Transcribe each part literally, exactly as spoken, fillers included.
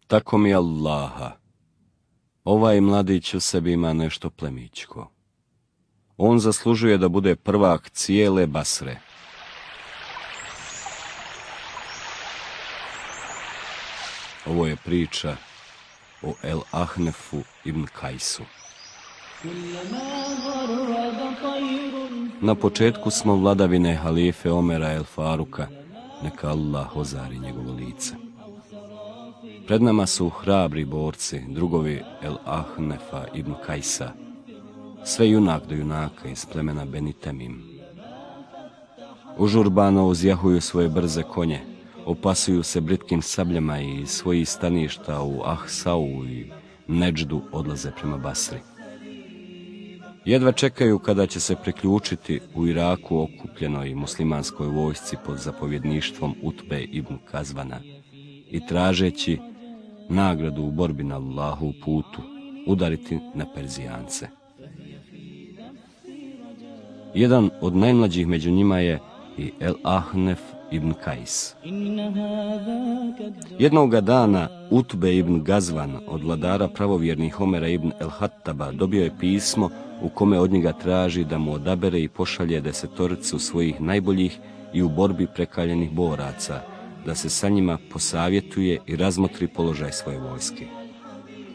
Tako mi Allaha, ovaj mladić u sebi ima nešto plemićko. On zaslužuje da bude prvak cijele Basre. Ovo je priča o El Ahnefu ibn Kajsu. Na početku smo vladavine halife Omera el Faruka, neka Allah ozari njegovo lice. Pred nama su hrabri borci, drugovi El Ahnefa ibn Kajsa, sve junak do junaka iz plemena Beni Temim. Užurbano uzjahuju svoje brze konje, opasuju se britkim sabljama i iz svojih staništa u Ahsau i Neđdu odlaze prema Basri. Jedva čekaju kada će se priključiti u Iraku okupljenoj muslimanskoj vojsci pod zapovjedništvom Utbe ibn Kazvana i tražeći nagradu u borbi na Allahu putu udariti na Perzijance. Jedan od najmlađih među njima je i El Ahnef ibn Kajs. Jednoga dana Utbe ibn Gazvan od vladara pravovjernih Omera ibn El Hattaba dobio je pismo u kome od njega traži da mu odabere i pošalje desetoricu svojih najboljih i u borbi prekaljenih boraca, da se sa njima posavjetuje i razmotri položaj svoje vojske.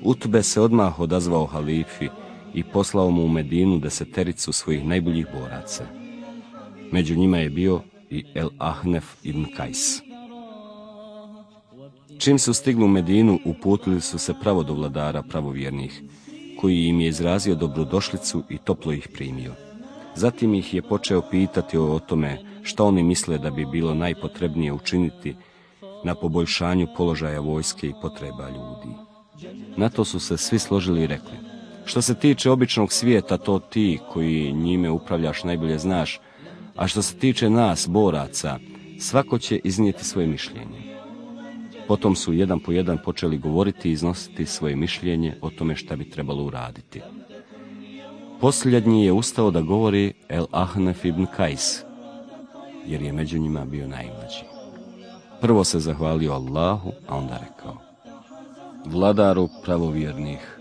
Utbe se odmah odazvao halifi i poslao mu u Medinu desetericu svojih najboljih boraca. Među njima je bio i El Ahnef ibn Kajs. Čim su stigli u Medinu, uputili su se pravo do vladara pravovjernih, koji im je izrazio dobrodošlicu i toplo ih primio. Zatim ih je počeo pitati o tome šta oni misle da bi bilo najpotrebnije učiniti na poboljšanju položaja vojske i potreba ljudi. Na to su se svi složili i rekli: što se tiče običnog svijeta, to ti koji njime upravljaš najbolje znaš, a što se tiče nas, boraca, svako će iznijeti svoje mišljenje. Potom su jedan po jedan počeli govoriti i iznositi svoje mišljenje o tome šta bi trebalo uraditi. Posljednji je ustao da govori El Ahnef ibn Kajs, jer je među njima bio najmlađi. Prvo se zahvalio Allahu, a onda rekao: vladaru pravovjernih,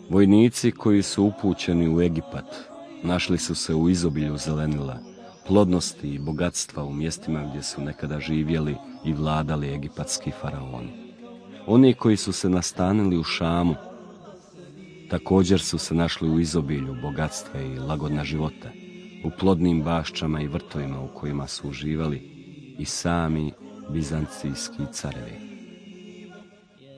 vojnici koji su upućeni u Egipat našli su se u izobilju zelenila, plodnosti i bogatstva u mjestima gdje su nekada živjeli i vladali egipatski faraoni. Oni koji su se nastanili u Šamu također su se našli u izobilju bogatstva i lagodna života, u plodnim baščama i vrtovima u kojima su uživali i sami bizancijski carevi.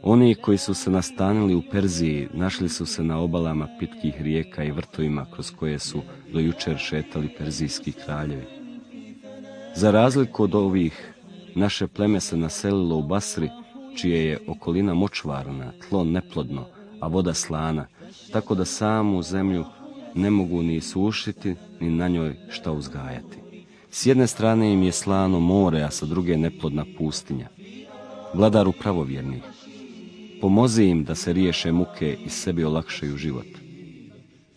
Oni koji su se nastanili u Perziji našli su se na obalama pitkih rijeka i vrtovima kroz koje su do jučer šetali perzijski kraljevi. Za razliku od ovih, naše pleme se naselilo u Basri, čije je okolina močvarna, tlo neplodno, a voda slana, tako da samu zemlju ne mogu ni sušiti, ni na njoj šta uzgajati. S jedne strane im je slano more, a sa druge neplodna pustinja. Vladaru pravovjernih, pomozi im da se riješe muke i sebi olakšaju život.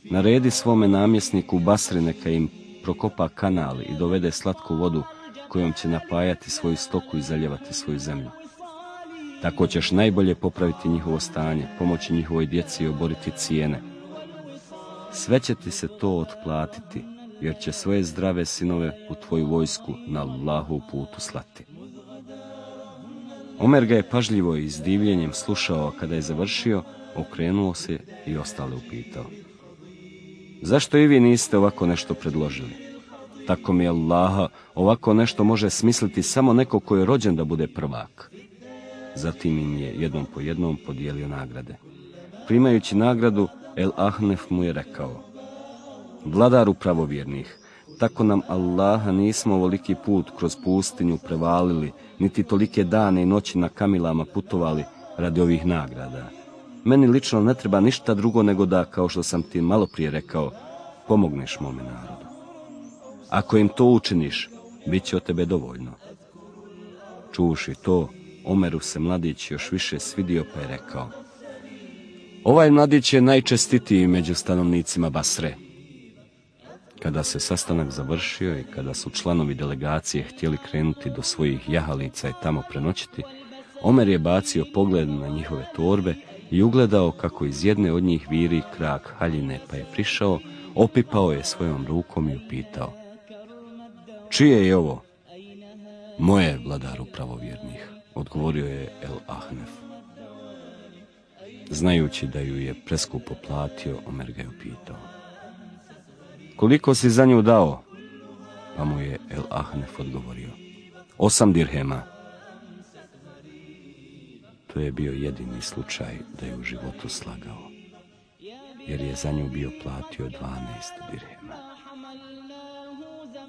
Naredi svome namjesniku u Basri neka im prokopa kanal i dovede slatku vodu kojom će napajati svoju stoku i zaljevati svoju zemlju. Tako ćeš najbolje popraviti njihovo stanje, pomoći njihovoj djeci i oboriti cijene. Sve će ti se to otplatiti, jer će svoje zdrave sinove u tvoju vojsku na Allahu putu slati. Omer ga je pažljivo i s divljenjem slušao, a kada je završio, okrenuo se i ostale upitao: zašto i vi niste ovako nešto predložili? Tako mi Allaha, ovako nešto može smisliti samo neko ko je rođen da bude prvak. Zatim im je jednom po jednom podijelio nagrade. Primajući nagradu, El Ahnef mu je rekao: vladaru pravovjernih, tako nam Allaha nismo ovoliki put kroz pustinju prevalili, niti tolike dane i noći na kamilama putovali radi ovih nagrada. Meni lično ne treba ništa drugo nego da, kao što sam ti malo prije rekao, pomogneš mome narodu. Ako im to učiniš, bit će od tebe dovoljno. Čuši to, Omeru se mladić još više svidio, pa je rekao: ovaj mladić je najčestitiji među stanovnicima Basre. Kada se sastanak završio i kada su članovi delegacije htjeli krenuti do svojih jahalica i tamo prenoćiti, Omer je bacio pogled na njihove torbe i ugledao kako iz jedne od njih viri krak haljine, pa je prišao, opipao je svojom rukom i upitao: čije je ovo? Moje, vladaru pravovjernih, odgovorio je El Ahnef. Znajući da ju je preskupo platio, Omer ga je upitao: koliko si za nju dao? Pa mu je El Ahnef odgovorio: osam dirhema. To je bio jedini slučaj da je u životu slagao, jer je za nju bio platio dvanaest dirhema.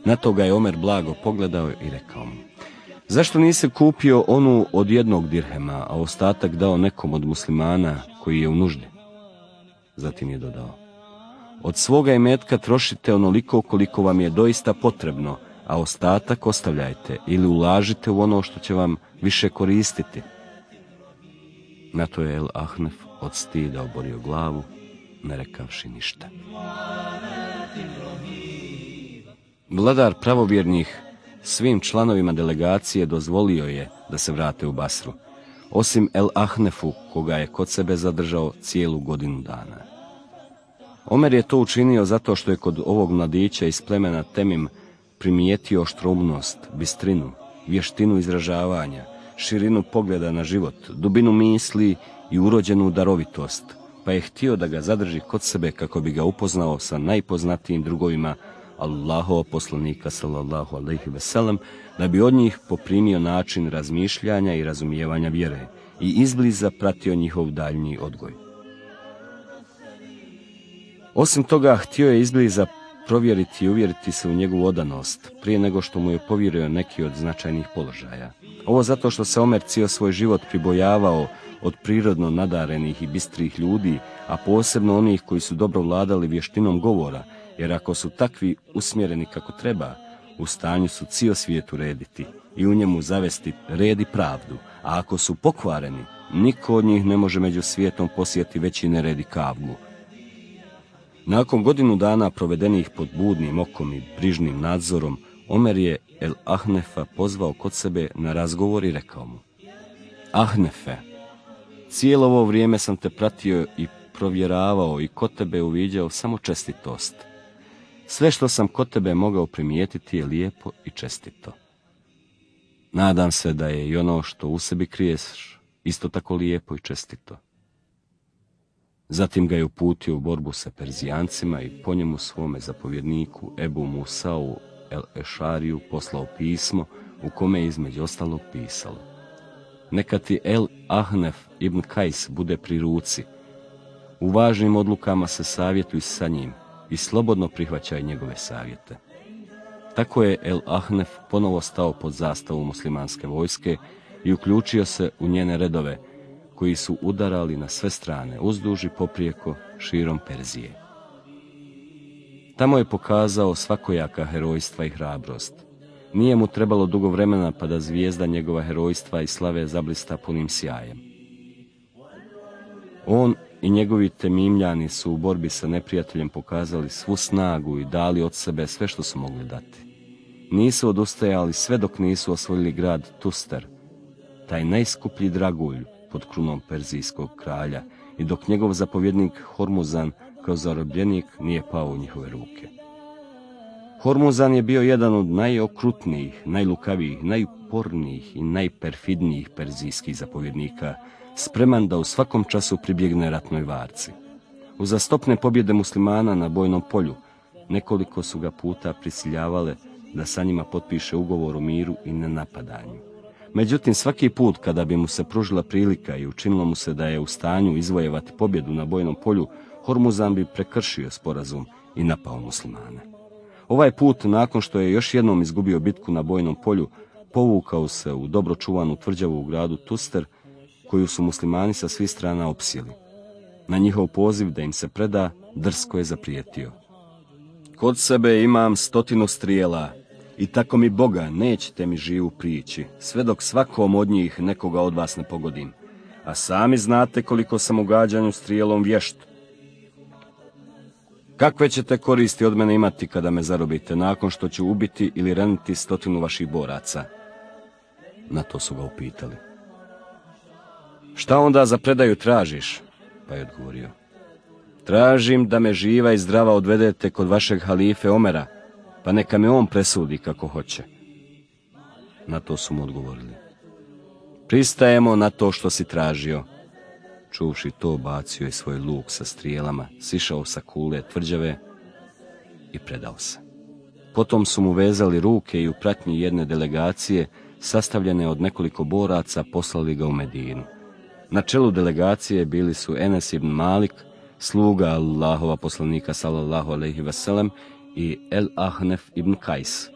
Na to ga je Omer blago pogledao i rekao mu: zašto nisi kupio onu od jednog dirhema, a ostatak dao nekom od muslimana koji je u nuždi? Zatim je dodao: od svoga imetka trošite onoliko koliko vam je doista potrebno, a ostatak ostavljajte ili ulažite u ono što će vam više koristiti. Na to je El Ahnef od stida oborio glavu, ne rekavši ništa. Vladar pravovjernih svim članovima delegacije dozvolio je da se vrate u Basru, osim El Ahnefu, koga je kod sebe zadržao cijelu godinu dana. Omer je to učinio zato što je kod ovog mladića iz plemena Temim primijetio oštroumnost, bistrinu, vještinu izražavanja, širinu pogleda na život, dubinu misli i urođenu darovitost, pa je htio da ga zadrži kod sebe kako bi ga upoznao sa najpoznatijim drugovima Allahova poslanika sallallahu alejhi ve sellem, da bi od njih poprimio način razmišljanja i razumijevanja vjere i izbliza pratio njihov daljnji odgoj. Osim toga, htio je izbliza provjeriti i uvjeriti se u njegovu odanost prije nego što mu je povjerio neki od značajnih položaja. Ovo zato što se Omer cijel svoj život pribojavao od prirodno nadarenih i bistrih ljudi, a posebno onih koji su dobro vladali vještinom govora, jer ako su takvi usmjereni kako treba, u stanju su cijel svijet urediti i u njemu zavesti red i pravdu, a ako su pokvareni, niko od njih ne može među svijetom posijati veći nered i kavgu. Nakon godinu dana provedenih pod budnim okom i brižnim nadzorom, Omer je El Ahnefa pozvao kod sebe na razgovor i rekao mu: Ahnefe, cijelo ovo vrijeme sam te pratio i provjeravao i kod tebe uviđao samo čestitost. Sve što sam kod tebe mogao primijetiti je lijepo i čestito. Nadam se da je i ono što u sebi kriješ isto tako lijepo i čestito. Zatim ga je uputio u borbu sa Perzijancima i po njemu svome zapovjedniku Ebu Musau El Ešariju poslao pismo u kome je između ostalog pisalo: neka ti El Ahnef ibn Kajs bude pri ruci. U važnim odlukama se savjetuj sa njim i slobodno prihvaćaj njegove savjete. Tako je El Ahnef ponovo stao pod zastavu muslimanske vojske i uključio se u njene redove, koji su udarali na sve strane, uzduž i poprijeko, širom Perzije. Tamo je pokazao svakojaka herojstva i hrabrost. Nije mu trebalo dugo vremena pa da zvijezda njegova herojstva i slave zablista punim sjajem. On i njegovi temimljani su u borbi sa neprijateljem pokazali svu snagu i dali od sebe sve što su mogli dati. Nisu odustajali sve dok nisu osvojili grad Tuster, taj najskuplji dragulj pod krunom perzijskog kralja, i dok njegov zapovjednik Hormuzan kao zarobljenik nije pao u njihove ruke. Hormuzan je bio jedan od najokrutnijih, najlukavijih, najupornijih i najperfidnijih perzijskih zapovjednika, spreman da u svakom času pribjegne ratnoj varci. Uzastopne pobjede muslimana na bojnom polju nekoliko su ga puta prisiljavale da sa njima potpiše ugovor o miru i nenapadanju. Međutim, svaki put kada bi mu se pružila prilika i učinilo mu se da je u stanju izvojevati pobjedu na bojnom polju, Hormuzan bi prekršio sporazum i napao muslimane. Ovaj put, nakon što je još jednom izgubio bitku na bojnom polju, povukao se u dobro čuvanu tvrđavu u gradu Tuster, koju su muslimani sa svih strana opsjeli. Na njihov poziv da im se preda, drsko je zaprijetio: kod sebe imam stotinu strijela i tako mi Boga nećete mi živu prići, sve dok svakom od njih nekoga od vas ne pogodim, a sami znate koliko sam u gađanju strijelom vješt. Kakve ćete koristi od mene imati kada me zarobite, nakon što ću ubiti ili raniti stotinu vaših boraca? Na to su ga upitali: Šta onda za predaju tražiš? Pa je odgovorio: tražim da me živa i zdrava odvedete kod vašeg halife Omera, pa neka me on presudi kako hoće. Na to su mu odgovorili: pristajemo na to što si tražio. Čuvši to, bacio je svoj luk sa strijelama, sišao sa kule tvrđave i predao se. Potom su mu vezali ruke i u pratnji jedne delegacije, sastavljene od nekoliko boraca, poslali ga u Medinu. Na čelu delegacije bili su Enes ibn Malik, sluga Allahova poslanika sallallahu alejhi ve sellem, i El Ahnef ibn Kajs,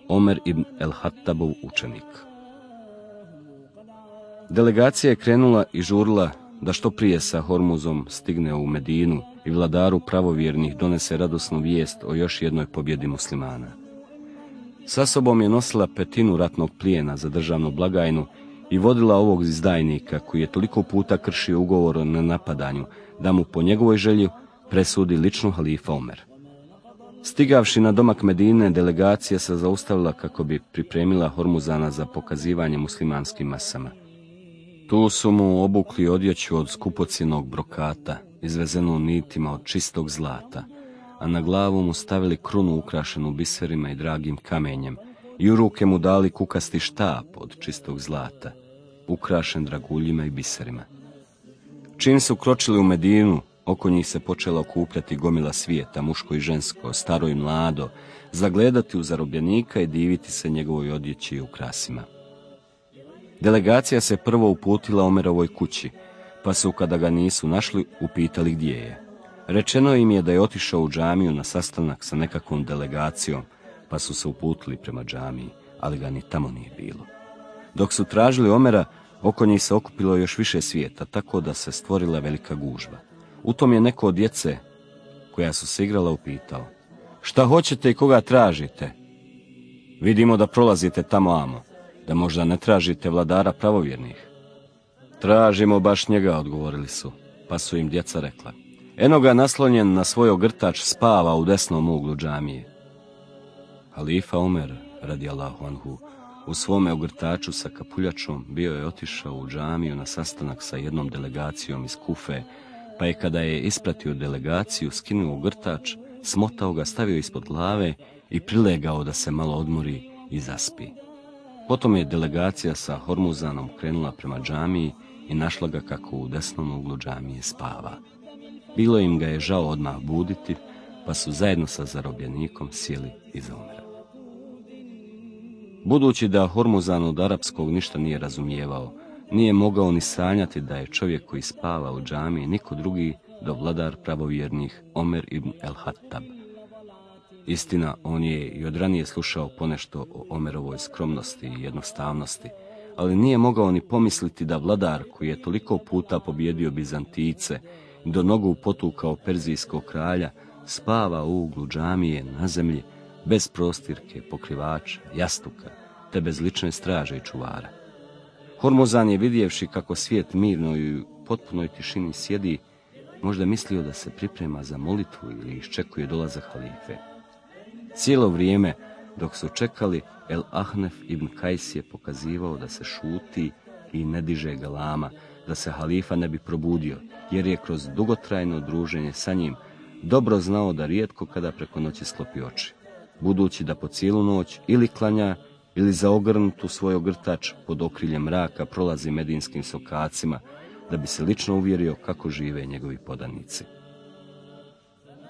Omer ibn El Hattabov učenik. Delegacija je krenula i žurila da što prije sa Hormuzom stigne u Medinu i vladaru pravovjernih donese radosnu vijest o još jednoj pobjedi muslimana. Sa sobom je nosila petinu ratnog plijena za državnu blagajnu i vodila ovog izdajnika koji je toliko puta kršio ugovor o nenapadanju da mu po njegovoj želji presudi lično halifa Omer. Stigavši na domak Medine, delegacija se zaustavila kako bi pripremila Hormuzana za pokazivanje muslimanskim masama. Tu su mu obukli odjeću od skupocjenog brokata, izvezenu nitima od čistog zlata, a na glavu mu stavili krunu ukrašenu biserima i dragim kamenjem i u ruke mu dali kukasti štap od čistog zlata, ukrašen draguljima i biserima. Čim su kročili u Medinu, oko njih se počela okupljati gomila svijeta, muško i žensko, staro i mlado, zagledati u zarobljenika i diviti se njegovoj odjeći i ukrasima. Delegacija se prvo uputila Omerovoj kući, pa su, kada ga nisu našli, upitali gdje je. Rečeno im je da je otišao u džamiju na sastanak sa nekakvom delegacijom, pa su se uputili prema džamiji, ali ga ni tamo nije bilo. Dok su tražili Omera, oko njih se okupilo još više svijeta, tako da se stvorila velika gužva. U tom je neko od djece, koja su se igrala, upitao: šta hoćete i koga tražite? Vidimo da prolazite tamo amo, da možda ne tražite vladara pravovjernih. Tražimo baš njega, odgovorili su, pa su im djeca rekla: eno ga naslonjen na svoj ogrtač spava u desnom uglu džamije. Halifa Omer, radijallahu anhu, u svome ogrtaču sa kapuljačom bio je otišao u džamiju na sastanak sa jednom delegacijom iz Kufe, pa je, kada je ispratio delegaciju, skinuo ogrtač, smotao ga, stavio ispod glave i prilegao da se malo odmori i zaspi. Potom je delegacija sa Hormuzanom krenula prema džamiji i našla ga kako u desnom uglu džamije spava. Bilo im ga je žao odmah buditi, pa su zajedno sa zarobljenikom sjeli iza Omera. Budući da Hormuzan od arapskog ništa nije razumijevao, nije mogao ni sanjati da je čovjek koji spava u džamiji niko drugi do vladar pravovjernih Omer ibn El Hattab. Istina, on je i od ranije slušao ponešto o Omerovoj skromnosti i jednostavnosti, ali nije mogao ni pomisliti da vladar koji je toliko puta pobjedio Bizantice i do nogu potukao perzijskog kralja spava u uglu džamije na zemlji, bez prostirke, pokrivača, jastuka, te bez lične straže i čuvara. Hormuzan je, vidjevši kako svijet mirno i u potpunoj tišini sjedi, možda mislio da se priprema za molitvu ili iščekuje dolazak halife. Cijelo vrijeme dok su čekali, El Ahnef ibn Kajs je pokazivao da se šuti i ne diže galama, da se halifa ne bi probudio, jer je kroz dugotrajno druženje sa njim dobro znao da rijetko kada preko noći sklopi oči, budući da po cijelu noć ili klanja ili zaogrnut u svoj ogrtač pod okriljem mraka prolazi medinskim sokacima, da bi se lično uvjerio kako žive njegovi podanici.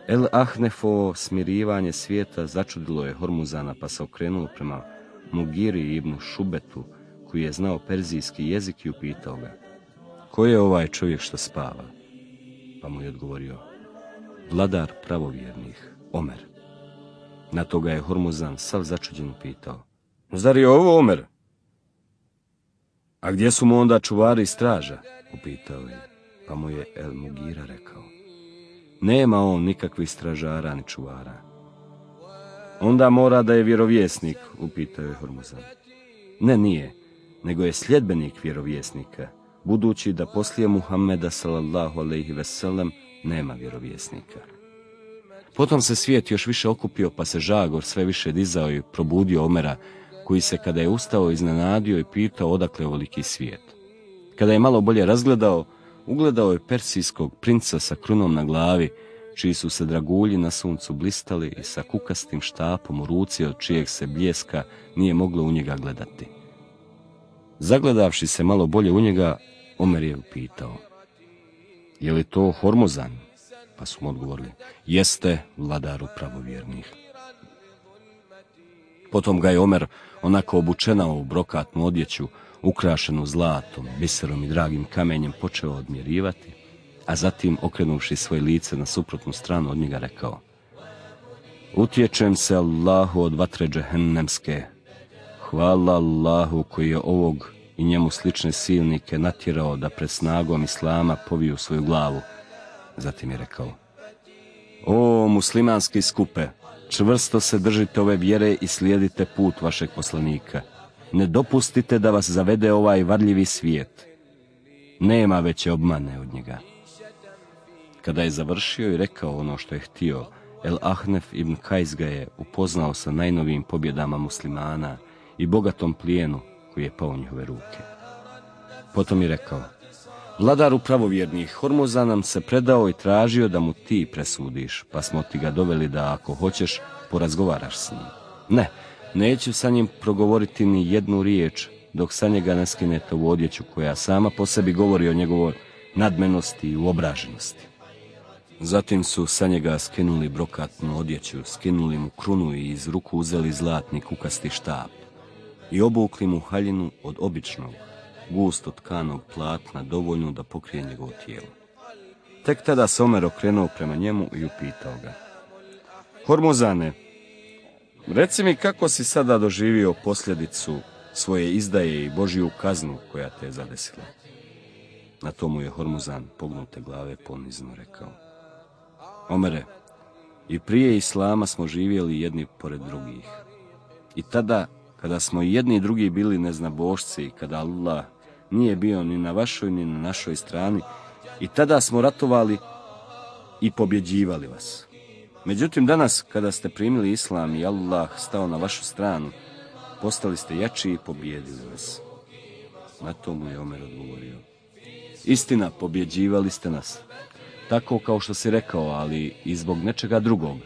El Ahnefovo smirivanje svijeta začudilo je Hormuzana, pa se okrenuo prema Mugiri ibn Šubetu, koji je znao perzijski jezik, i upitao ga: ko je ovaj čovjek što spava? Pa mu je odgovorio: vladar pravovjernih, Omer. Na to ga je Hormuzan sav začuđen upitao: zar je ovo Omer? A gdje su mu onda čuvari i straža? Upitao je, pa mu je El Mugira rekao: nema on nikakvih stražara ni čuvara. Onda mora da je vjerovjesnik, upitao je Hormuzan. Ne, nije, nego je sljedbenik vjerovjesnika, budući da poslije Muhammeda sallallahu alejhi ve sellem nema vjerovjesnika. Potom se svijet još više okupio, pa se žagor sve više dizao i probudio Omera, koji se, kada je ustao, iznenadio i pitao odakle ovoliki svijet. Kada je malo bolje razgledao, ugledao je persijskog princa sa krunom na glavi, čiji su se dragulji na suncu blistali i sa kukastim štapom u ruci od čijeg se bljeska nije moglo u njega gledati. Zagledavši se malo bolje u njega, Omer je upitao: je li to Hormuzan? Pa su mu odgovorili: jeste, vladaru pravovjernih. Potom ga je Omer, onako obučenao u brokatnu odjeću, ukrašenu zlatom, biserom i dragim kamenjem, počeo odmjerivati, a zatim, okrenuvši svoje lice na suprotnu stranu od njega, rekao: utječem se Allahu od vatre džehennemske. Hvala Allahu koji je ovog i njemu slične silnike natjerao da pred snagom Islama poviju svoju glavu. Zatim je rekao: o muslimanski skupe, čvrsto se držite ove vjere i slijedite put vašeg poslanika. Ne dopustite da vas zavede ovaj varljivi svijet. Nema veće obmane od njega. Kada je završio i rekao ono što je htio, El Ahnef ibn Kajs ga je upoznao sa najnovijim pobjedama muslimana i bogatom plijenu koji je pao u njihove ruke. Potom je rekao: vladaru pravovjernih, Hormuzan nam se predao i tražio da mu ti presudiš, pa smo ti ga doveli da, ako hoćeš, porazgovaraš s njim. Ne, neću sa njim progovoriti ni jednu riječ, dok sa njega ne skinete u odjeću koja sama po sebi govori o njegovoj nadmenosti i uobraženosti. Zatim su sa njega skinuli brokatnu odjeću, skinuli mu krunu i iz ruku uzeli zlatni kukasti štap i obukli mu haljinu od običnog, gusto tkanog platna, dovoljno da pokrije njegovo tijelo. Tek tada se Omer okrenuo prema njemu i upitao ga: Hormuzane, reci mi kako si sada doživio posljedicu svoje izdaje i Božiju kaznu koja te je zadesila. Na to mu je Hormuzan pognute glave ponizno rekao: Omere, i prije Islama smo živjeli jedni pored drugih. I tada, kada smo i jedni i drugi bili neznabošci i kada Allah nije bio ni na vašoj ni na našoj strani, i tada smo ratovali i pobjeđivali vas. Međutim, danas, kada ste primili Islam i Allah stao na vašu stranu, postali ste jači i pobjedili vas. Na to mu je Omer odgovorio: istina, pobjeđivali ste nas, tako kao što si rekao, ali i zbog nečega drugog.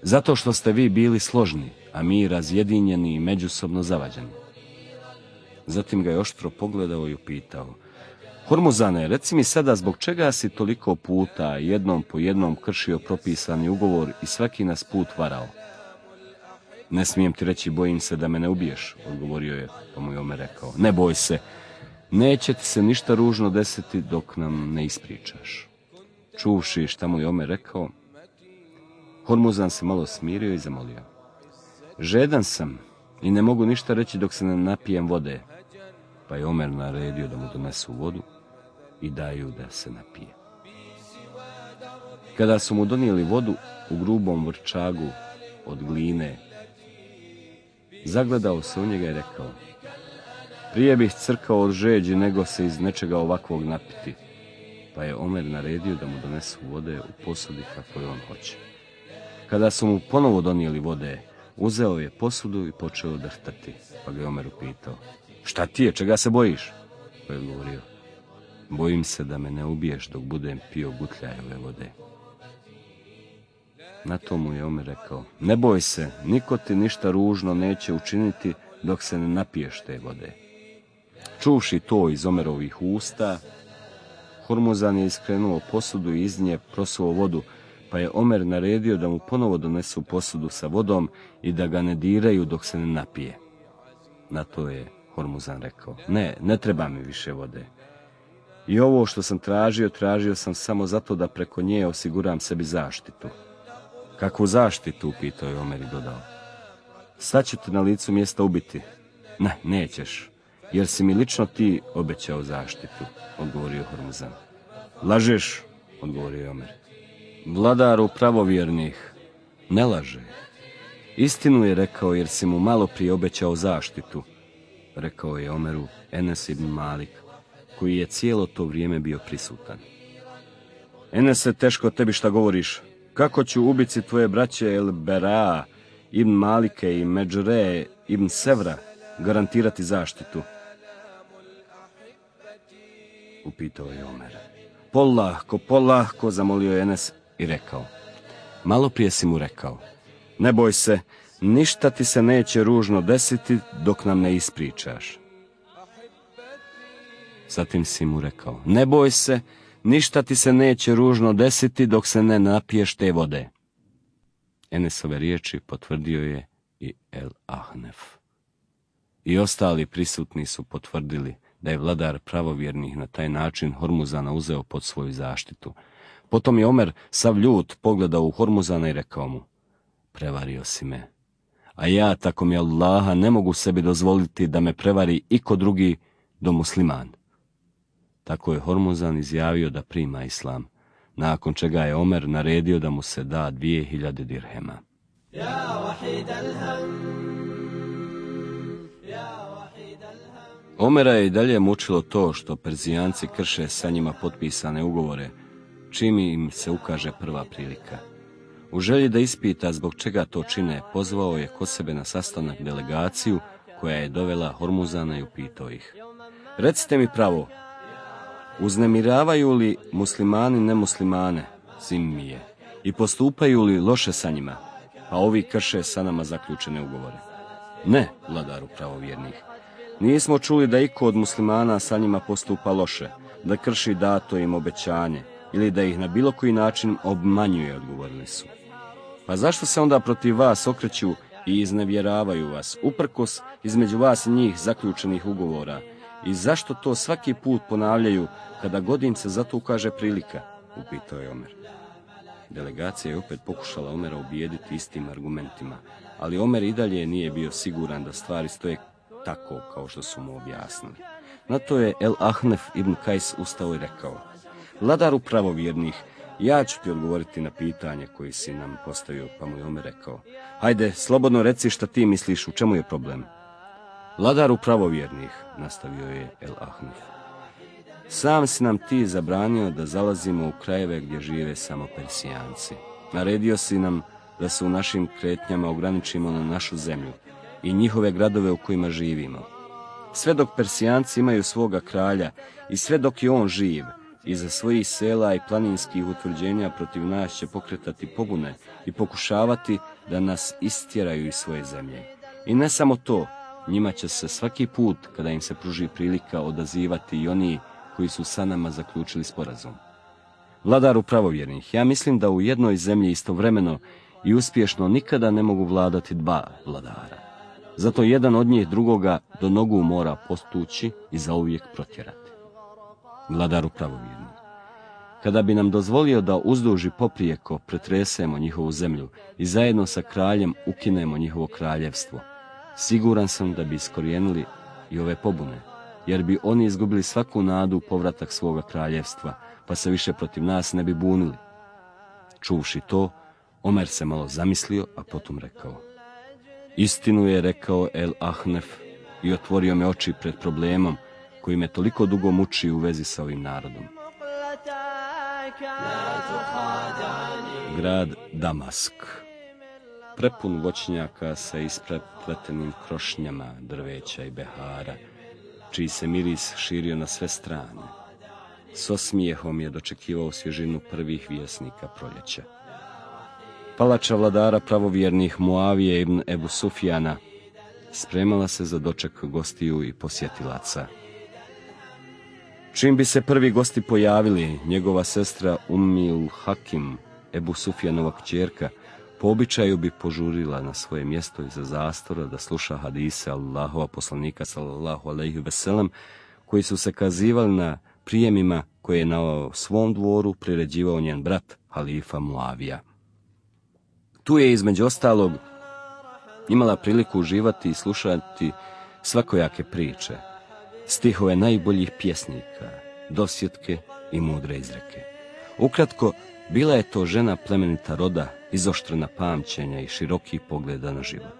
Zato što ste vi bili složni, a mi razjedinjeni i međusobno zavađeni. Zatim ga je oštro pogledao i upitao: Hormuzane, reci mi sada, zbog čega si toliko puta jednom po jednom kršio propisani ugovor i svaki nas put varao? Ne smijem ti reći, bojim se da me ne ubiješ, odgovorio je, pa mu je Omer rekao: ne boj se, neće ti se ništa ružno desiti dok nam ne ispričaš. Čuvši šta mu je Omer rekao, Hormuzan se malo smirio i zamolio: žedan sam i ne mogu ništa reći dok se ne napijem vode. Pa je Omer naredio da mu donesu vodu i daju da se napije. Kada su mu donijeli vodu u grubom vrčagu od gline, zagledao se u njega i rekao: prije bih crkao od žeđi nego se iz nečega ovakvog napiti. Pa je Omer naredio da mu donesu vode u posudi kako je on hoće. Kada su mu ponovo donijeli vode, uzeo je posudu i počeo drhtati, pa ga je Omer upitao: šta ti je, čega se bojiš? Pa je odgovorio: bojim se da me ne ubiješ dok budem pio gutljajeve vode. Na to mu je Omer rekao: ne boj se, niko ti ništa ružno neće učiniti dok se ne napiješ te vode. Čuvši to iz Omerovih usta, Hormuzan je iskrenuo posudu i iz nje prosuo vodu, pa je Omer naredio da mu ponovo donesu posudu sa vodom i da ga ne diraju dok se ne napije. Na to je Hormuzan rekao: ne, ne treba mi više vode. I ovo što sam tražio, tražio sam samo zato da preko nje osiguram sebi zaštitu. Kakvu zaštitu, pitao je Omer i dodao: sad ću te na licu mjesta ubiti. Ne, nećeš, jer si mi lično ti obećao zaštitu, odgovorio Hormuzan. Lažeš, odgovorio Omer. Vladaru pravovjernih, ne laže. Istinu je rekao, jer si mu malo prije obećao zaštitu, rekao je Omeru Enes ibn Malik, koji je cijelo to vrijeme bio prisutan. Enese, teško tebi šta govoriš. Kako ću ubici tvoje braće El Bera ibn Malike i Međre ibn Sevra garantirati zaštitu? upitao je Omer. Polahko, polahko, zamolio je Enes i rekao. Malo prije si mu rekao, ne boj se, ništa ti se neće ružno desiti dok nam ne ispričaš. Zatim si mu rekao, ne boj se, ništa ti se neće ružno desiti dok se ne napiješ te vode. Enesove riječi potvrdio je i El Ahnef. I ostali prisutni su potvrdili da je vladar pravovjernih na taj način Hormuzana uzeo pod svoju zaštitu. Potom je Omer sav ljut pogledao u Hormuzana i rekao mu, prevario si me, a ja, tako mi Allaha, ne mogu sebi dozvoliti da me prevari iko drugi do musliman. Tako je Hormuzan izjavio da prima islam, nakon čega je Omer naredio da mu se da dvije hiljade dirhema. Omera je i dalje mučilo to što Perzijanci krše sa njima potpisane ugovore, čim im se ukaže prva prilika. U želji da ispita zbog čega to čine, pozvao je kod sebe na sastanak delegaciju koja je dovela Hormuzana i upitao ih. Recite mi pravo, uznemiravaju li muslimani nemuslimane, zimmije, i postupaju li loše sa njima, a ovi krše sa nama zaključene ugovore? Ne, vladaru pravovjernih. Nismo čuli da iko od muslimana sa njima postupa loše, da krši dato im obećanje ili da ih na bilo koji način obmanjuje, odgovorili su. Pa zašto se onda protiv vas okreću i iznevjeravaju vas, uprkos između vas i njih zaključenih ugovora, i zašto to svaki put ponavljaju kada god im se za to ukaže prilika, upitao je Omer. Delegacija je opet pokušala Omera ubijediti istim argumentima, ali Omer i dalje nije bio siguran da stvari stoje tako kao što su mu objasnili. Na to je El Ahnef ibn Kajs ustao i rekao, vladaru pravovjernih, ja ću ti odgovoriti na pitanje koji si nam postavio, pa mu je Omer rekao, hajde, slobodno reci šta ti misliš, u čemu je problem. Vladaru pravovjernih, nastavio je El Ahnef, sam si nam ti zabranio da zalazimo u krajeve gdje žive samo Persijanci. Naredio si nam da se u našim kretnjama ograničimo na našu zemlju i njihove gradove u kojima živimo. Sve dok Persijanci imaju svoga kralja i sve dok je on živ, iza svojih sela i planinskih utvrđenja protiv nas će pokretati pobune i pokušavati da nas istjeraju iz svoje zemlje. I ne samo to, njima će se svaki put, kada im se pruži prilika, odazivati i oni koji su sa nama zaključili sporazum. Vladaru pravovjernih, ja mislim da u jednoj zemlji istovremeno i uspješno nikada ne mogu vladati dva vladara. Zato jedan od njih drugoga do nogu mora postući i zauvijek protjerati. Vladaru pravovjerni, kada bi nam dozvolio da uzduži poprijeko pretresemo njihovu zemlju i zajedno sa kraljem ukinemo njihovo kraljevstvo, siguran sam da bi iskorijenili i ove pobune, jer bi oni izgubili svaku nadu u povratak svoga kraljevstva, pa se više protiv nas ne bi bunili. Čuvši to, Omer se malo zamislio, a potom rekao, istinu je rekao El Ahnef i otvorio me oči pred problemom koji me toliko dugo muči u vezi sa ovim narodom. Grad Damask, prepun voćnjaka sa isprepletenim krošnjama, drveća i behara, čiji se miris širio na sve strane. S osmijehom je dočekivao svježinu prvih vjesnika proljeća. Palača vladara pravovjernih Muavije ibn Ebu Sufjana spremala se za doček gostiju i posjetilaca. Čim bi se prvi gosti pojavili, njegova sestra Ummul Hakim, Ebu Sufjanova kćerka, po običaju bi požurila na svoje mjesto iza zastora da sluša hadise Allahova poslanika sallallahu alejhi ve sellem, koji su se kazivali na prijemima koje je na svom dvoru priređivao njen brat, halifa Muavija. Tu je između ostalog imala priliku uživati i slušati svakojake priče, stihove najboljih pjesnika, dosjetke i mudre izreke. Ukratko, bila je to žena plemenita roda, izoštrena pamćenja i širokih pogleda na život.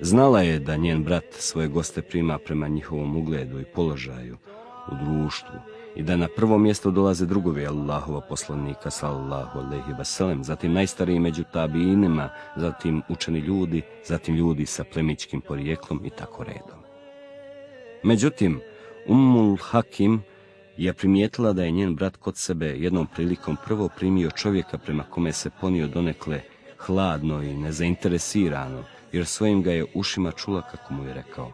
Znala je da njen brat svoje goste prima prema njihovom ugledu i položaju u društvu i da na prvo mjesto dolaze drugovi Allahova poslanika sallallahu alejhi ve sellem, zatim najstariji među tabijinima, zatim učeni ljudi, zatim ljudi sa plemićkim porijeklom i tako redom. Međutim, Ummul Hakim I je primijetila da je njen brat kod sebe jednom prilikom prvo primio čovjeka prema kome se ponio donekle hladno i nezainteresirano, jer svojim ga je ušima čula kako mu je rekao: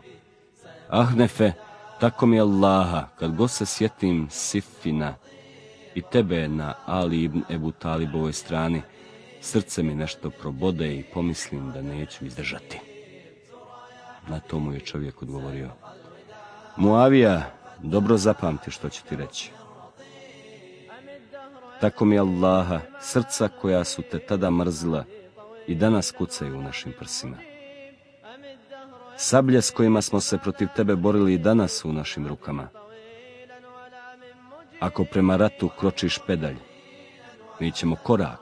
Ahnefe, tako mi Allaha, kad god se sjetim Sifina i tebe na Ali ibn Ebu Talibovoj strani, srce mi nešto probode i pomislim da neću izdržati. Na to mu je čovjek odgovorio: Muavija, dobro zapamti što ću ti reći. Tako mi Allaha, srca koja su te tada mrzila i danas kucaju u našim prsima. Sablje s kojima smo se protiv tebe borili i danas su u našim rukama. Ako prema ratu kročiš pedalj, mi ćemo korak,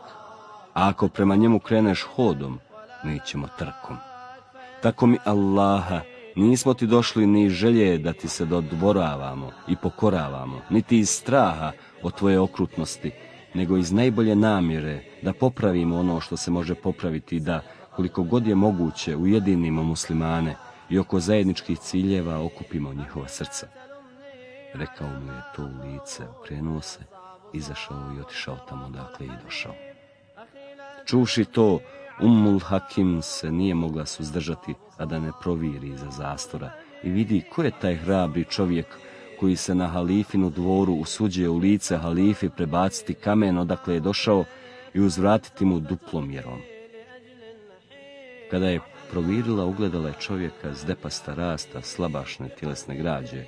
a ako prema njemu kreneš hodom, mi ćemo trkom. Tako mi Allaha, nismo ti došli ni želje da ti se dodvoravamo i pokoravamo, niti iz straha od tvoje okrutnosti, nego iz najbolje namjere da popravimo ono što se može popraviti i da, koliko god je moguće, ujedinimo muslimane i oko zajedničkih ciljeva okupimo njihova srca. Rekao mu je to u lice, okrenuo se, izašao i otišao tamo odakle je došao. Čuvši to, Ummul Hakim se nije mogla suzdržati, a da ne proviri iza zastora i vidi ko je taj hrabri čovjek koji se na halifinu dvoru usuđuje u lice halifi prebaciti kamen odakle je došao i uzvratiti mu duplom mjerom. Kada je provirila, ugledala je čovjeka zdepasta rasta, slabašne tjelesne građe,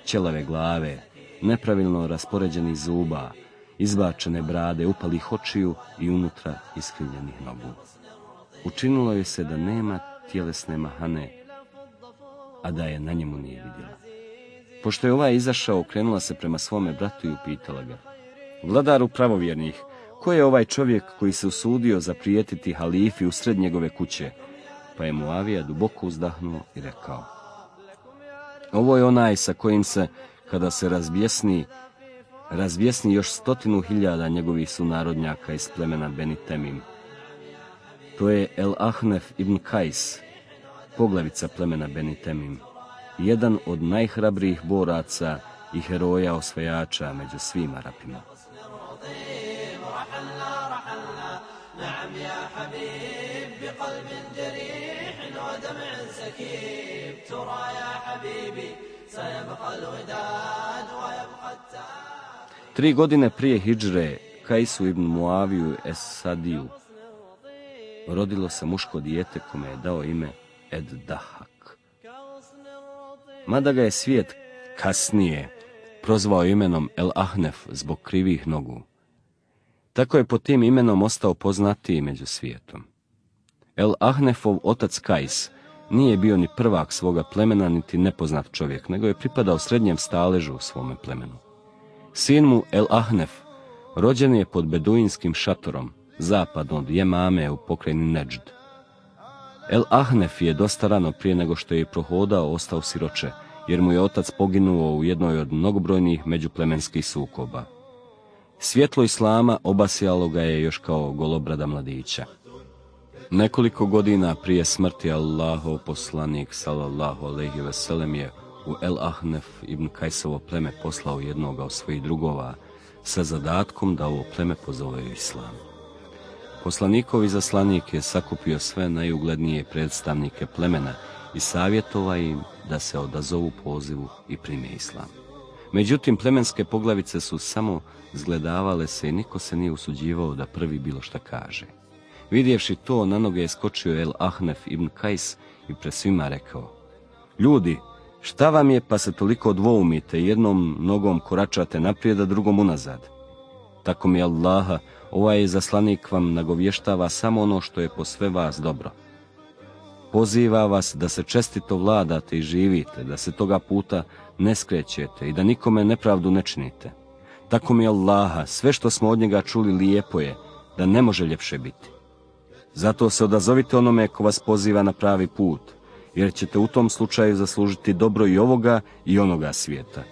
ćelave glave, nepravilno raspoređenih zuba, izbačene brade, upalih očiju i unutra iskrivljenih nogu. Učinilo je se da nema tjelesne mahane, a da je na njemu nije vidjela. Pošto je ovaj izašao, okrenula se prema svome bratu i upitala ga: Vladaru pravovjernih, ko je ovaj čovjek koji se usudio zaprijetiti halifi usred njegove kuće? Pa je Muavija duboko uzdahnuo i rekao: Ovo je onaj sa kojim se, kada se razbjesni, razbjesni još stotinu hiljada njegovih sunarodnjaka iz plemena Beni Temim. To je El Ahnef ibn Kajs, poglavica plemena Beni Temim, jedan od najhrabrijih boraca i heroja osvajača među svim Arapima. Tri godine prije hidžre, Kajsu ibn Muaviju Es-Sadiju rodilo se muško dijete kome je dao ime Ed-Dahak. Mada ga je svijet kasnije prozvao imenom El-Ahnef zbog krivih nogu, tako je pod tim imenom ostao poznatiji među svijetom. El-Ahnefov otac Kajs nije bio ni prvak svoga plemena, niti nepoznat čovjek, nego je pripadao srednjem staležu u svome plemenu. Sin mu El-Ahnef rođen je pod beduinskim šatorom, zapadno od Jemame u pokrajini Neđd. El-Ahnef je dosta rano prije nego što je prohodao ostao siroče, jer mu je otac poginuo u jednoj od mnogobrojnih međuplemenskih sukoba. Svjetlo islama obasjalo ga je još kao golobrada mladića. Nekoliko godina prije smrti Allahov poslanik sallallahu alejhi ve sellem je u El-Ahnef ibn Kajsovo pleme poslao jednoga od svojih drugova sa zadatkom da ovo pleme pozove u islam. Poslanikov izaslanik je sakupio sve najuglednije predstavnike plemena i savjetovao im da se odazovu pozivu i prime islam. Međutim, plemenske poglavice su samo zgledavale se i niko se nije usuđivao da prvi bilo šta kaže. Vidjevši to, na noge je skočio El-Ahnef ibn Kajs i pred svima rekao: Ljudi, šta vam je pa se toliko dvoumite, jednom nogom koračate naprijed, a drugom unazad? Tako mi Allaha, ovaj zaslanik vam nagovještava samo ono što je po sve vas dobro. Poziva vas da se čestito vladate i živite, da se toga puta ne skrećete i da nikome nepravdu ne činite. Tako mi Allaha, sve što smo od njega čuli lijepo je, da ne može ljepše biti. Zato se odazovite onome ko vas poziva na pravi put, jer ćete u tom slučaju zaslužiti dobro i ovoga i onoga svijeta.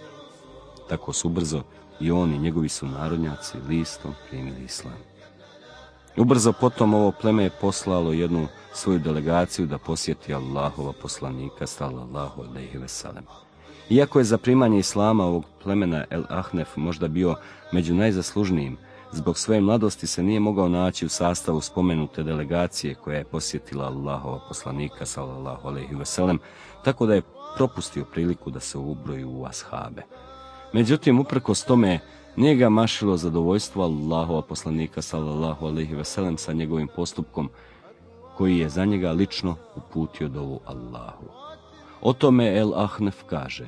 Tako su brzo i on i njegovi sunarodnjaci listom primili islam. Ubrzo potom ovo pleme je poslalo jednu svoju delegaciju da posjeti Allahova poslanika sallallahu alejhi ve sellem. Iako je za primanje islama ovog plemena El Ahnef možda bio među najzaslužnijim, zbog svoje mladosti se nije mogao naći u sastavu spomenute delegacije koja je posjetila Allahova poslanika sallallahu alejhi ve sellem, tako da je propustio priliku da se ubroji u ashabe. Međutim, uprkos tome, nije ga mašilo zadovoljstvo Allahova poslanika sallallahu alejhi ve sellem sa njegovim postupkom, koji je za njega lično uputio dovu Allahu. O tome El Ahnef kaže: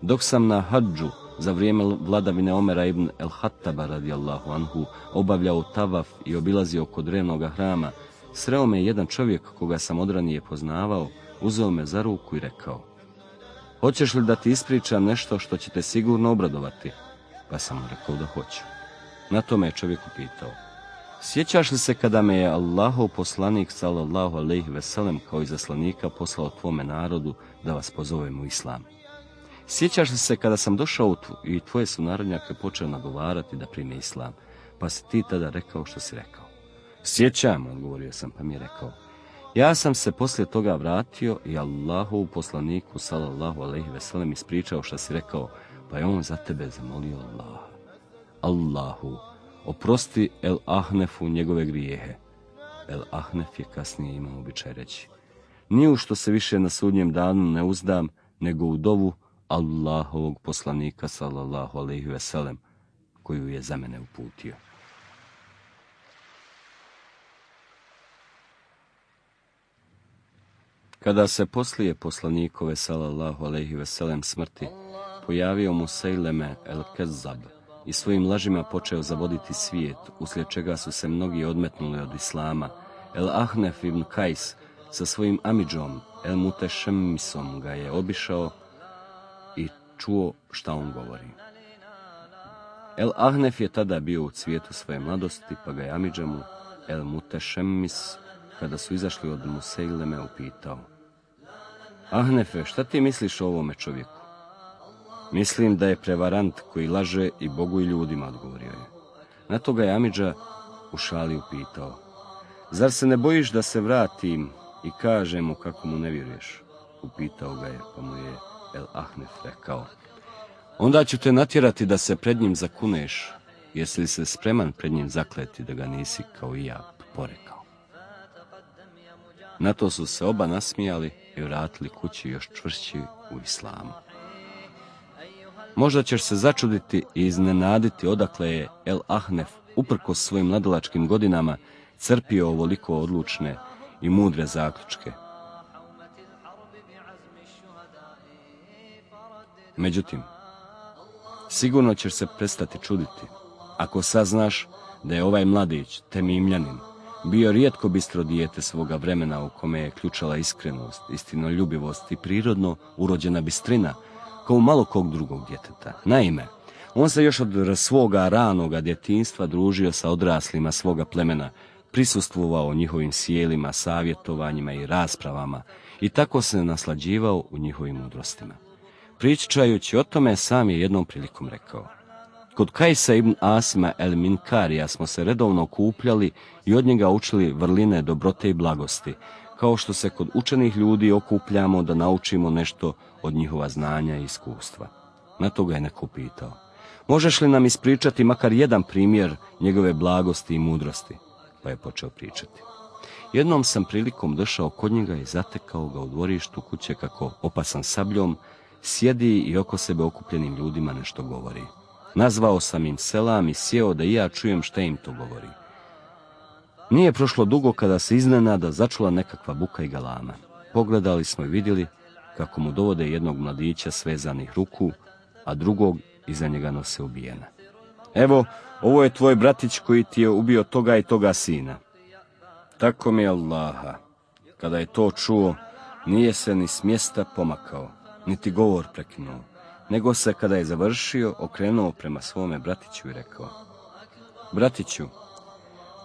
dok sam na hadžu za vrijeme vladavine Omera ibn El Hattaba radijallahu anhu obavljao tavaf i obilazio oko drevnoga hrama, sreo me jedan čovjek koga sam odranije poznavao, uzeo me za ruku i rekao: hoćeš li da ti ispričam nešto što će te sigurno obradovati? Pa sam mu rekao da hoću. Na to me je čovjek upitao: sjećaš li se kada me je Allahov poslanik sallallahu alejhi ve sellem kao izaslanika poslao tvome narodu da vas pozovem u islam? Sjećaš li se kada sam došao i tvoje sunarodnjake počeo nagovarati da prime islam, pa si ti tada rekao što si rekao? Sjećam, odgovorio sam, pa mi je rekao: ja sam se poslije toga vratio i Allahov poslaniku sallallahu alejhi ve sellem ispričao što si rekao, pa je on za tebe zamolio Allaha: Allahu, oprosti El Ahnefu njegove grijehe. El Ahnef je kasnije imao običaj reći: ni u što se više na sudnjem danu ne uzdam, nego u dovu Allahovog poslanika sallallahu alejhi ve sellem, koju je za mene uputio. Kada se poslije poslanikove sallallahu alejhi ve sellem smrti pojavio Musejleme el Kezzab i svojim lažima počeo zavoditi svijet, uslijed čega su se mnogi odmetnuli od islama, El Ahnef ibn Kajs sa svojim amidžom El Mutešemmisom ga je obišao i čuo šta on govori. El Ahnef je tada bio u cvijetu svoje mladosti, pa ga je amidžemu El Mutešemmis, kada su izašli od Musejleme, upitao: Ahnefe, šta ti misliš o ovome čovjeku? Mislim da je prevarant koji laže i Bogu i ljudima, odgovorio je. Na to ga je amidža u šali upitao: zar se ne bojiš da se vratim i kažem mu kako mu ne vjeruješ? Upitao ga je, pa mu je El Ahnef rekao: onda ću te natjerati da se pred njim zakuneš, jesi li se spreman pred njim zakleti da ga nisi kao i ja porekao? Na to su se oba nasmijali i vratili kući još čvršći u islamu. Možda ćeš se začuditi i iznenaditi odakle je El Ahnef, uprkos svojim mladalačkim godinama, crpio ovoliko odlučne i mudre zaključke. Međutim, sigurno ćeš se prestati čuditi ako saznaš da je ovaj mladić, Temimljanin, bio rijetko bistro dijete svoga vremena u kome je ključala iskrenost, istinoljubivost i prirodno urođena bistrina, kao malo kog drugog djeteta. Naime, on se još od svoga ranoga djetinjstva družio sa odraslima svoga plemena, prisustvovao njihovim sjelima, savjetovanjima i raspravama i tako se naslađivao u njihovim mudrostima. Pričajući o tome, sam je jednom prilikom rekao: kod Kajsa ibn Asima el Minkarija smo se redovno okupljali i od njega učili vrline dobrote i blagosti, kao što se kod učenih ljudi okupljamo da naučimo nešto od njihova znanja i iskustva. Na to ga je neko pitao: možeš li nam ispričati makar jedan primjer njegove blagosti i mudrosti? Pa je počeo pričati: jednom sam prilikom došao kod njega i zatekao ga u dvorištu kuće kako, opasan sabljom, sjedi i oko sebe okupljenim ljudima nešto govori. Nazvao sam im selam i sjeo da i ja čujem šta im to govori. Nije prošlo dugo kada se iznenada začula nekakva buka i galama. Pogledali smo i vidjeli kako mu dovode jednog mladića svezanih ruku, a drugog iza njega nose ubijena. Evo, ovo je tvoj bratić koji ti je ubio toga i toga sina. Tako mi Allaha. Kada je to čuo, nije se ni s mjesta pomakao, niti govor prekinuo, nego se kada je završio okrenuo prema svome bratiću i rekao: bratiću,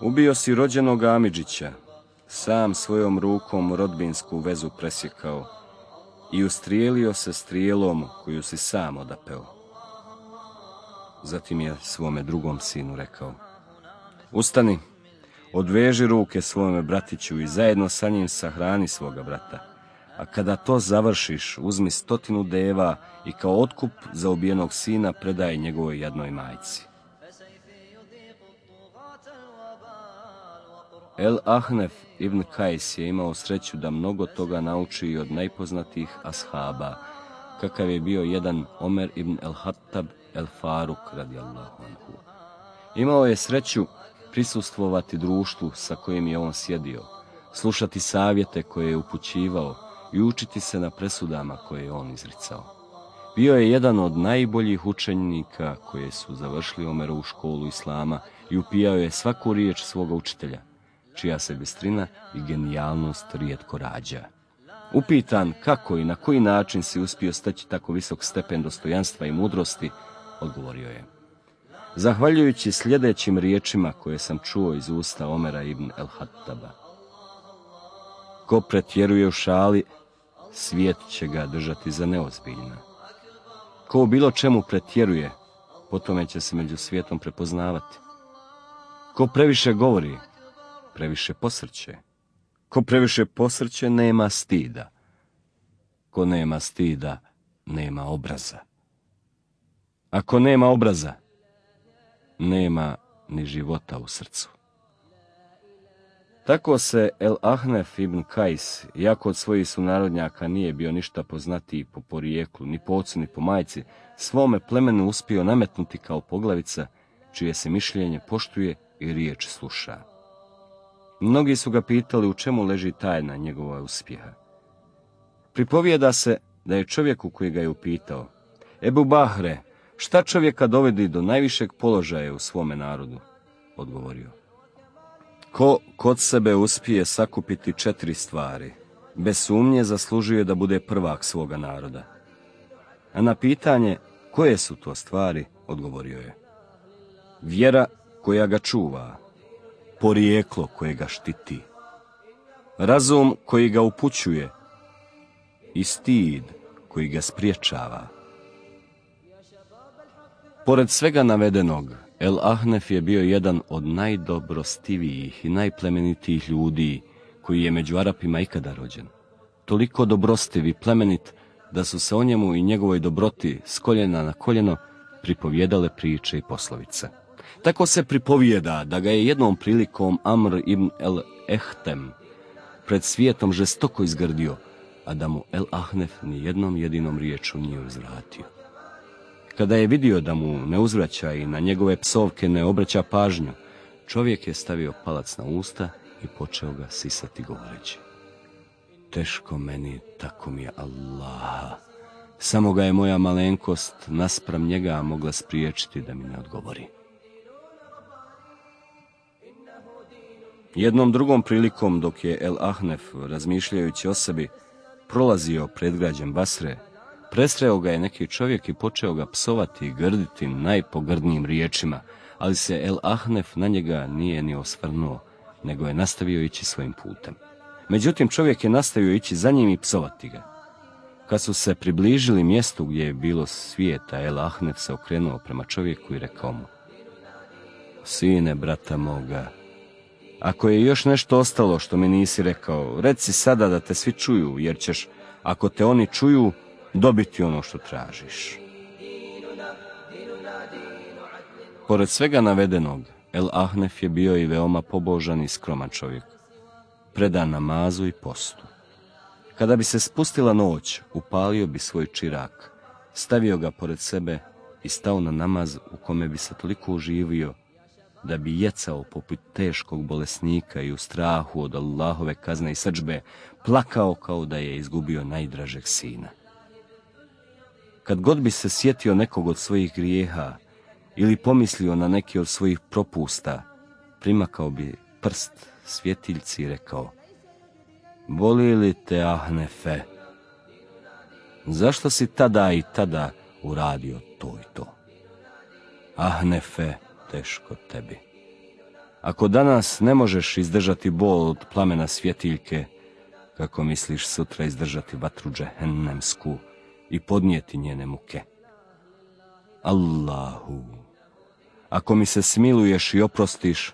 ubio si rođenog Amidžića, sam svojom rukom rodbinsku vezu presjekao i ustrijelio se strijelom koju si sam odapeo. Zatim je svome drugom sinu rekao: ustani, odveži ruke svome bratiću i zajedno sa njim sahrani svoga brata, a kada to završiš, uzmi stotinu deva i kao otkup za ubijenog sina predaj njegovoj jadnoj majci. El Ahnef ibn Kajs je imao sreću da mnogo toga nauči od najpoznatijih ashaba, kakav je bio jedan Omer ibn el-Hattab el-Faruk radijallahu anhu. Imao je sreću prisustvovati društvu sa kojim je on sjedio, slušati savjete koje je upućivao i učiti se na presudama koje je on izricao. Bio je jedan od najboljih učenika koje su završili Omerovu školu islama i upijao je svaku riječ svoga učitelja, čija se bistrina i genijalnost rijetko rađa. Upitan kako i na koji način si uspio steći tako visok stepen dostojanstva i mudrosti, odgovorio je: zahvaljujući sljedećim riječima koje sam čuo iz usta Omera ibn el-Hattaba. Ko pretjeruje u šali, svijet će ga držati za neozbiljna. Ko u bilo čemu pretjeruje, po tome će se među svijetom prepoznavati. Ko previše govori, previše posrće. Ko previše posrće, nema stida. Ko nema stida, nema obraza. Ako nema obraza, nema ni života u srcu. Tako se El Ahnef ibn Kajs, iako od svojih sunarodnjaka nije bio ništa poznatiji po porijeklu, ni po ocu, ni po majci, svome plemenu uspio nametnuti kao poglavica, čije se mišljenje poštuje i riječ sluša. Mnogi su ga pitali u čemu leži tajna njegova uspjeha. Pripovijeda se da je čovjeku koji ga je upitao: Ebu Bahre, šta čovjeka dovedi do najvišeg položaja u svome narodu? Odgovorio: ko kod sebe uspije sakupiti četiri stvari, bez sumnje zaslužuje da bude prvak svoga naroda. A na pitanje koje su to stvari, odgovorio je: vjera koja ga čuva, porijeklo koje ga štiti, razum koji ga upućuje i stid koji ga spriječava. Pored svega navedenog, El Ahnef je bio jedan od najdobrostivijih i najplemenitijih ljudi koji je među Arapima ikada rođen. Toliko dobrostiv i plemenit da su se o njemu i njegovoj dobroti s koljena na koljeno pripovjedale priče i poslovice. Tako se pripovijeda da ga je jednom prilikom Amr ibn el-Ehtem pred svijetom žestoko izgrdio, a da mu El Ahnef ni jednom jedinom riječu nije uzvratio. Kada je vidio da mu ne uzvraća i na njegove psovke ne obraća pažnju, čovjek je stavio palac na usta i počeo ga sisati govoreći: teško meni, tako mi je Allah. Samo ga je moja malenkost naspram njega mogla spriječiti da mi ne odgovori. Jednom drugom prilikom, dok je El Ahnef, razmišljajući o sebi, prolazio predgrađem Basre, presreo ga je neki čovjek i počeo ga psovati i grditi najpogrdnijim riječima, ali se El Ahnef na njega nije ni osvrnuo, nego je nastavio ići svojim putem. Međutim, čovjek je nastavio ići za njim i psovati ga. Kad su se približili mjestu gdje je bilo svijeta, El Ahnef se okrenuo prema čovjeku i rekao mu: sine brata moga, ako je još nešto ostalo što mi nisi rekao, reci sada da te svi čuju, jer ćeš, ako te oni čuju, dobiti ono što tražiš. Pored svega navedenog, El Ahnef je bio i veoma pobožan i skroman čovjek, predan namazu i postu. Kada bi se spustila noć, upalio bi svoj čirak, stavio ga pored sebe i stao na namaz u kome bi se toliko uživio da bi jecao poput teškog bolesnika i u strahu od Allahove kazne i srdžbe plakao kao da je izgubio najdražeg sina. Kad god bi se sjetio nekog od svojih grijeha ili pomislio na neki od svojih propusta, primakao bi prst svjetiljci i rekao: boli li te, Ahnefe? Zašto si tada i tada uradio to i to? Ahnefe, teško tebi. Ako danas ne možeš izdržati bol od plamena svjetiljke, kako misliš sutra izdržati vatru džehennemsku i podnijeti njene muke? Allahu, ako mi se smiluješ i oprostiš,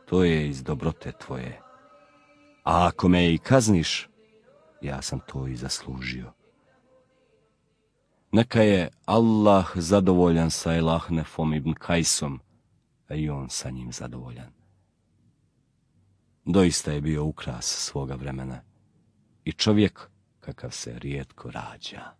to je iz dobrote tvoje. A ako me i kazniš, ja sam to i zaslužio. Neka je Allah zadovoljan sa Elahnefom ibn Kajsom, a i on sa njim zadovoljan. Doista je bio ukras svoga vremena i čovjek kakav se rijetko rađa.